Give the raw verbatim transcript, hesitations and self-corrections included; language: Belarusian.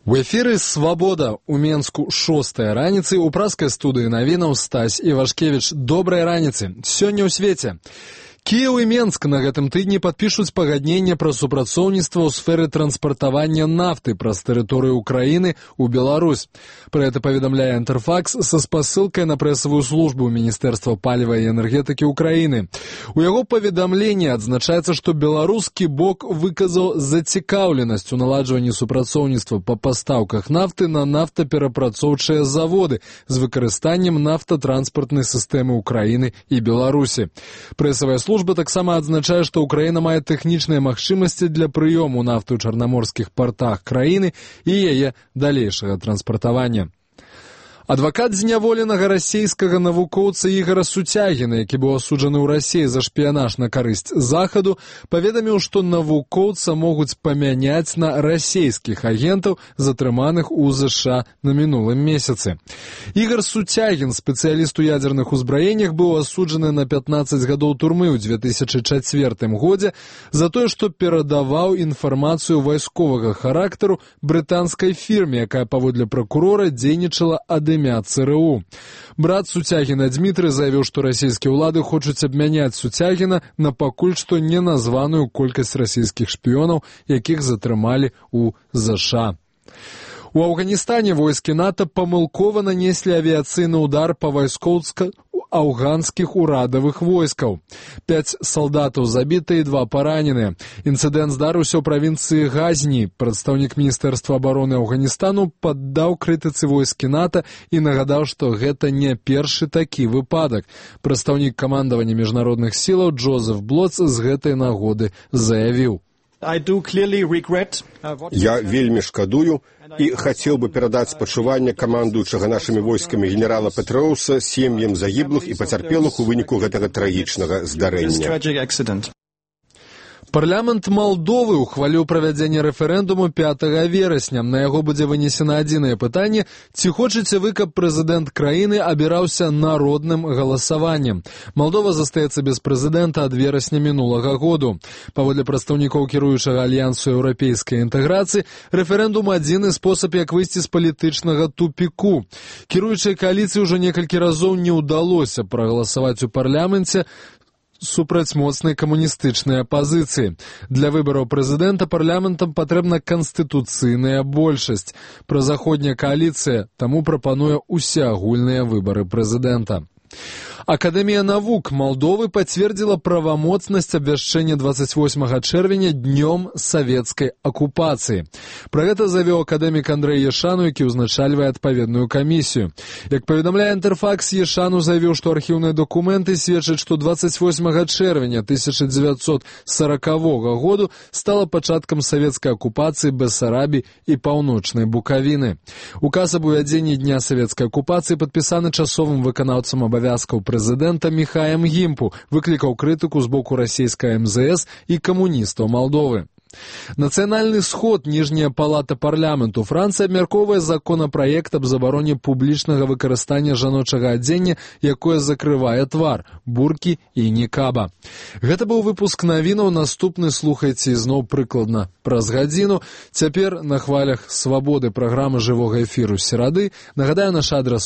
У эфіры «Свабода» у Менску шостая раніцы, у праскай студыі навінаў Стась Івашкевіч. Добрай раніцы. Сёння ў свеце. Кіеў і Менск на гэтым тыдні падпішуць пагадненне пра супрацоўніцтва ў сферы транспартавання нафты праз тэрыторыю Украіны ў Беларусь. Пра гэта паведамляе Інтэрфакс са спасылкай на прэсавую службу Міністэрства паліва і энергетыкі Украіны. У яго паведамленні адзначаецца, што беларускі бок выказаў зацікаўленасць у наладжванні супрацоўніцтва па пастаўках нафты на нафтаперапрацоўчыя заводы з выкарыстаннем нафтатранспартнай сістэмы Украіны і Беларусі. Прэсавая служба таксама адзначае, што Украіна мае тэхнічныя магчымасці для прыёму нафты ў чарнаморскіх партах краіны і яе далейшага транспартавання. Адвакат зняволенага расійскага навукоўца Ігора Суцягіна, які быў асуджаны ў Расіі за шпіянаж на карысць Захаду, паведаміў, што навукоўца могуць памяняць на расійскіх агентаў, затрыманых у ЗША на мінулым месяцы. Ігор Суцягін, спецыяліст у ядзерных узбраеннях, быў асуджаны на пятнаццаць гадоў турмы ў дзве тысячы чацвёртым годзе за тое, што перадаваў інфармацыю вайсковага характару брытанскай фірме, якая паводле пракурора дзейнічала ад імя ЦРУ. Брат Суцягіна Дмітрый заявіў, што расійскія ўлады хочуць абмяняць Суцягіна на пакуль што неназваную колькасць расійскіх шпіёнаў, якіх затрымалі ў ЗША. У Афганістане войскі НАТО памылкова нанеслі авіяцыйны ўдар па вайскоўска афганскіх урадавых войскаў. Пяць салдатаў забіты і два параненыя. Інцыдэнт здарыўся ў правінцыі Газні. Прадстаўнік Міністэрства абароны Афганістану паддаў крытыцы войскі НАТО і нагадаў, што гэта не першы такі выпадак. Прадстаўнік камандавання міжнародных сілаў Джозеф Блоц з гэтай нагоды заявіў: Я вельмі шкадую і хацеў бы перадаць спачуванне камандуючага нашымі войскамі генерала Петроўса сем'ям загіблых і пацярпелых у выніку гэтага трагічнага здарэння. Парламент Малдовы ухваліў правядзенне рэферэндуму пятага верасня. На яго будзе вынесена адзінае пытанне: ці хочаце вы, каб прэзідэнт краіны абіраўся народным галасаваннем? Малдова застаецца без прэзідэнта ад верасня мінулага году. Паводле прадстаўнікоў кіруючага альянсу еўрапейскай інтэграцыі, рэферэндум адзіны спосаб, як выйсці з палітычнага тупіку. Кіруючай кааліцыі ўжо некалькі разоў не ўдалося прагаласаваць у парламенце супраць моцнай камуністычнай апазіцыі. Для выбараў прэзідэнта парламентам патрэбна канстытуцыйная большасць. Празаходняя кааліцыя таму прапануе усеагульныя выбары прэзідэнта. Акадэмія навук Малдовы пацвердзіла правамоцнасць абвяшчэння двадцать восьмага чэрвеня днём савецкай акупацыі. Пра гэта заявіў акадэмік Андрэй Ешану, які ўзначальвае адпаведную камісію. Як паведамляе Інтэрфакс, Ешану заявіў, што архіўныя дакументы сведчаць, што двадцать восьмага чэрвеня тысяча дзевяцьсот саракавога году стала пачаткам савецкай акупацыі Бессарабіі і паўночнай Букавіны. Указ аб увядзенні дня савецкай акупацыі падпісаны часовым выканаўцам абавязкаў прэзідэнта Міхаем Гімпу, выклікаў крытыку з боку расійскай эм зэ эс і камуністаў Малдовы. Нацыянальны сход, ніжняя палата парламенту Францыі абмяркоўвае законапраект аб забароне публічнага выкарыстання жаночага адзення, якое закрывае твар, буркі і нікаба. Гэта быў выпуск навінаў, наступны слухайце ізноў прыкладна праз гадзіну. Цяпер на хвалях Свабоды праграмы жывога эфіру серады. Нагадаю, наш адрас